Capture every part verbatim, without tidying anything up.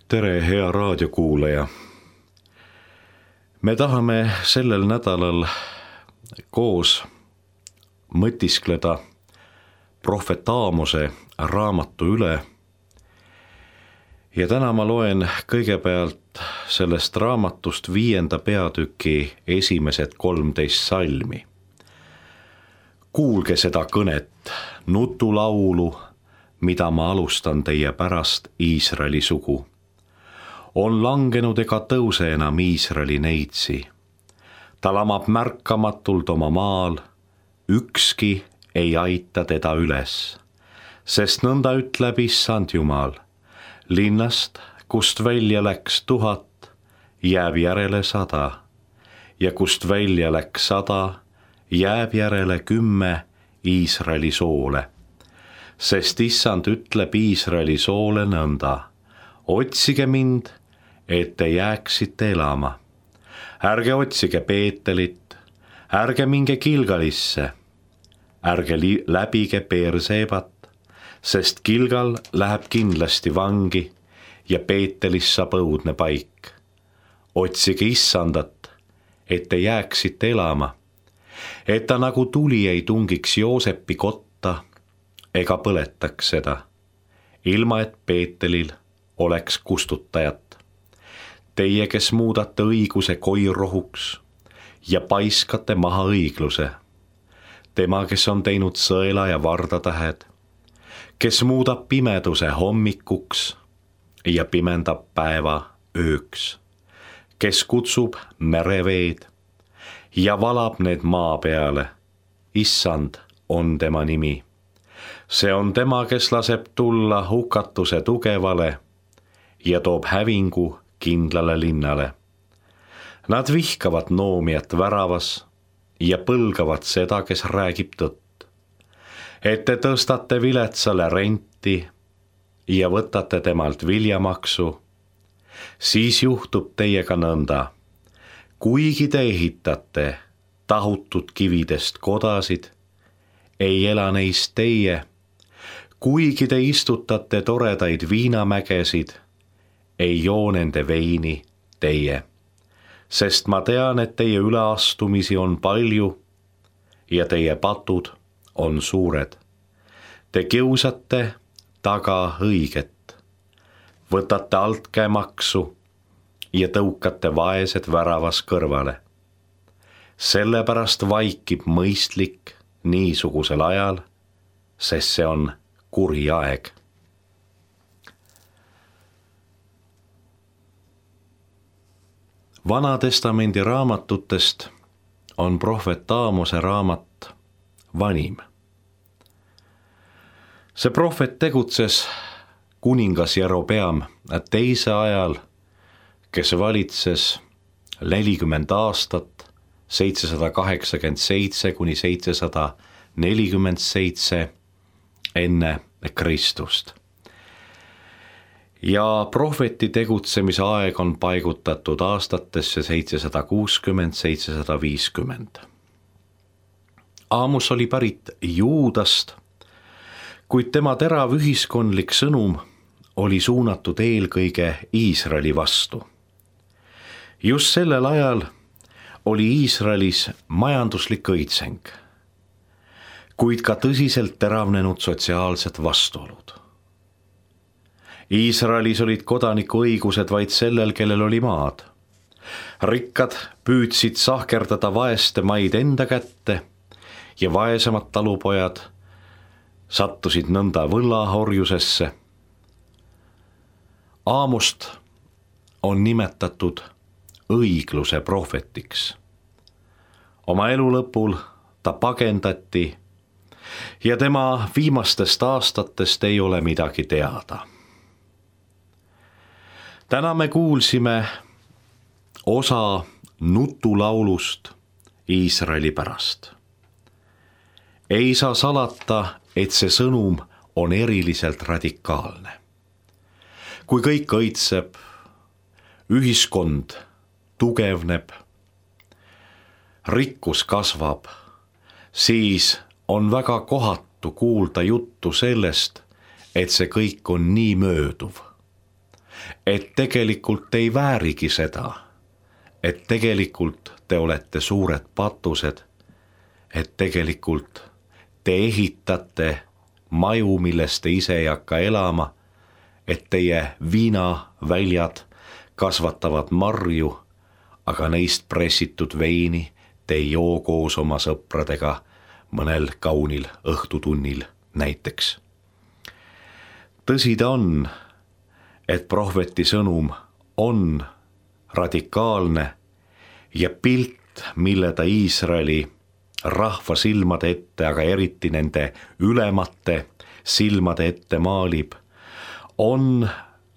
Tere, hea raadiokuulaja. Me tahame sellel nädalal koos mõtiskleda prohvet Aamose raamatu üle. Ja täna ma loen kõigepealt sellest raamatust viienda peatüki esimesed kolmteist salmi. Kuulge seda kõnet, nutulaulu, mida ma alustan teie pärast Iisraeli sugu. On langenud ega tõuse enam Iisraeli neitsi. Ta lamab märkamatult oma maal, ükski ei aita teda üles. Sest nõnda ütleb Issand Jumal, linnast, kust välja läks tuhat, jääb järele sada. Ja kust välja läks sada, jääb järele kümme Iisraeli soole. Sest Issand ütleb Iisraeli soole nõnda, otsige mind, et te jääksite elama. Ärge otsige Peetelit, ärge minge Gilgalisse, ärge li- läbige Beersebat, sest Gilgal läheb kindlasti vangi ja Peetelis saab õudne paik. Otsige Issandat, et te jääksite elama, et ta nagu tuli ei tungiks Joosepi kotta ega põletaks seda, ilma et Peetelil oleks kustutajat. Teie, kes muudate õiguse koirohuks ja paiskate maha õigluse. Tema, kes on teinud sõela ja vardatähed, kes muudab pimeduse hommikuks ja pimendab päeva ööks, kes kutsub mereveed ja valab need maa peale. Issand on tema nimi. See on tema, kes laseb tulla hukatuse tugevale ja toob hävingu kindlale linnale. Nad vihkavad noomijat väravas ja põlgavad seda, kes räägib tõtt. Et te tõstate viletsale renti ja võtate temalt viljamaksu, siis juhtub teiega nõnda. Kuigi te ehitate tahutud kividest kodasid, ei ela neist teie. Kuigi te istutate toredaid viinamägesid, ei joo nende veini teie. Sest ma tean, et teie üleastumisi on palju ja teie patud on suured. Te kiusate taga õiget, võtate altkäemaksu ja tõukate vaesed väravas kõrvale. Sellepärast vaikib mõistlik niisugusel ajal, sest see on kuri aeg. Vanatestamendi raamatutest on prohvet Aamose raamat vanim. See prohvet tegutses kuningas Jerobeam teise ajal, kes valitses nelikümmend aastat, seitsesada kaheksakümmend seitse kuni seitsesada nelikümmend seitse enne Kristust. Ja prohveti tegutsemise aeg on paigutatud aastatesse seitsesada kuuskümmend seitsesada viiskümmend. Aamos oli pärit Juudast, kuid tema terav ühiskondlik sõnum oli suunatud eelkõige Iisraeli vastu. Just sellel ajal oli Iisraelis majanduslik õitseng, kuid ka tõsiselt teravnenud sotsiaalsed vastuolud. Iisraelis olid kodaniku õigused vaid sellel, kellel oli maad. Rikkad püüdsid sahkerdada vaeste maid enda kätte ja vaesemad talupojad sattusid nõnda võllahorjusesse. Aamost on nimetatud õigluse prohvetiks. Oma elu lõpul ta pagendati ja tema viimastest aastatest ei ole midagi teada. Täna me kuulsime osa nutulaulust Iisraeli pärast. Ei saa salata, et see sõnum on eriliselt radikaalne. Kui kõik õitseb, ühiskond tugevneb, rikkus kasvab, siis on väga kohatu kuulda juttu sellest, et see kõik on nii mööduv. et tegelikult te ei väärigi seda, et tegelikult te olete suured patused, et tegelikult te ehitate maju, milles te ise ei hakka elama, et teie viinaväljad kasvatavad marju, aga neist pressitud veini te ei joo koos oma sõpradega mõnel kaunil õhtutunnil näiteks. Tõsi ta on, et prohveti sõnum on radikaalne ja pilt, mille ta Iisraeli rahva silmade ette, aga eriti nende ülemate silmade ette maalib, on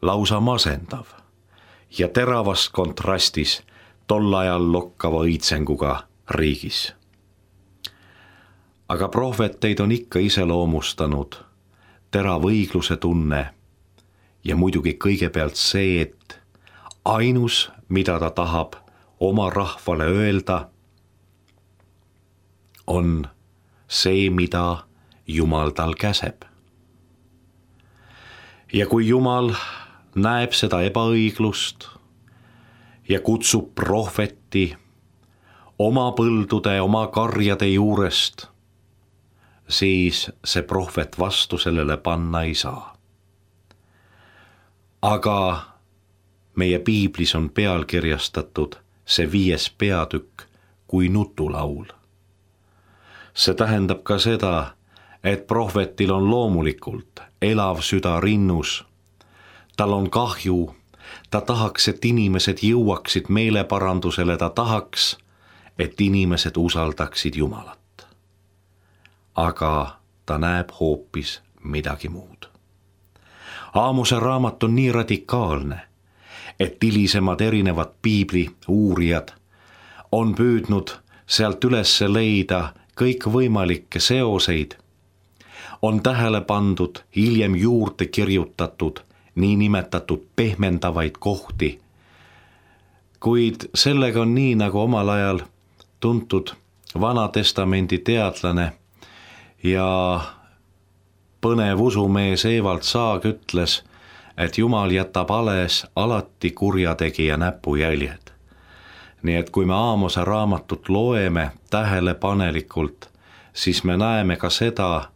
lausa masendav ja teravas kontrastis tol ajal lokkava õitsenguga riigis. Aga prohveteid on ikka iseloomustanud terav õigluse tunne ja muidugi kõigepealt see, et ainus, mida ta tahab oma rahvale öelda, on see, mida Jumal tal käseb. Ja kui Jumal näeb seda ebaõiglust ja kutsub prohveti oma põldude, oma karjade juurest, siis see prohvet vastu sellele panna ei saa. Aga meie piiblis on pealkirjastatud see viies peatükk kui nutulaul. See tähendab ka seda, et prohvetil on loomulikult elav süda rinnus. Tal on kahju, ta tahaks, et inimesed jõuaksid meeleparandusele, ta tahaks, et inimesed usaldaksid Jumalat. Aga ta näeb hoopis midagi muud. Aamose raamat on nii radikaalne, et hilisemad erinevad piibli uurijad on püüdnud sealt üles leida kõikvõimalikke seoseid, on tähele pandud hiljem juurde kirjutatud niinimetatud pehmendavaid kohti, kuid sellega on nii, nagu omal ajal tuntud Vanatestamendi teadlane ja põnev usumees Evald Saag ütles, et Jumal jätab alles alati kurjategija näpujäljed. Nii et kui me Aamose raamatut loeme tähelepanelikult, siis me näeme ka seda,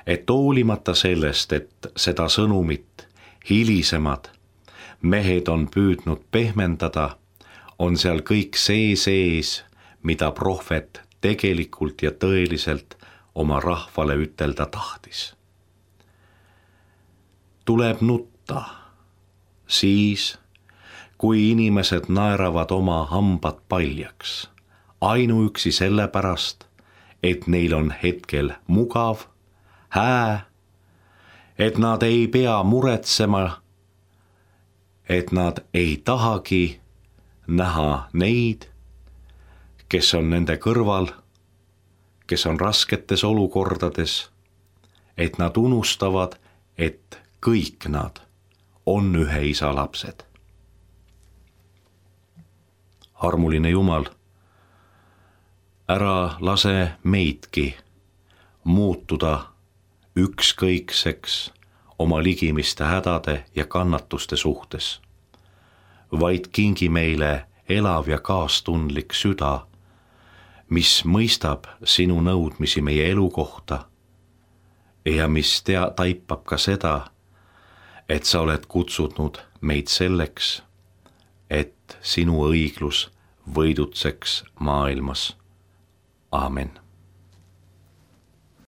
et hoolimata sellest, et seda sõnumit hilisemad mehed on püüdnud pehmendada, on seal kõik see sees, mida prohvet tegelikult ja tõeliselt oma rahvale ütelda tahtis. Tuleb nutta siis, kui inimesed naeravad oma hambad paljaks, ainuüksi sellepärast, et neil on hetkel mugav, hää, et nad ei pea muretsema, et nad ei tahagi näha neid, kes on nende kõrval, kes on rasketes olukordades, et nad unustavad, et kõik nad on ühe isa lapsed. Armuline Jumal, ära lase meidki muutuda ükskõikseks oma ligimiste hädade ja kannatuste suhtes, vaid kingi meile elav ja kaastundlik süda, mis mõistab sinu nõudmisi meie elu kohta ja mis tea, taipab ka seda, et sa oled kutsunud meid selleks, et sinu õiglus võidutseks maailmas. Aamen.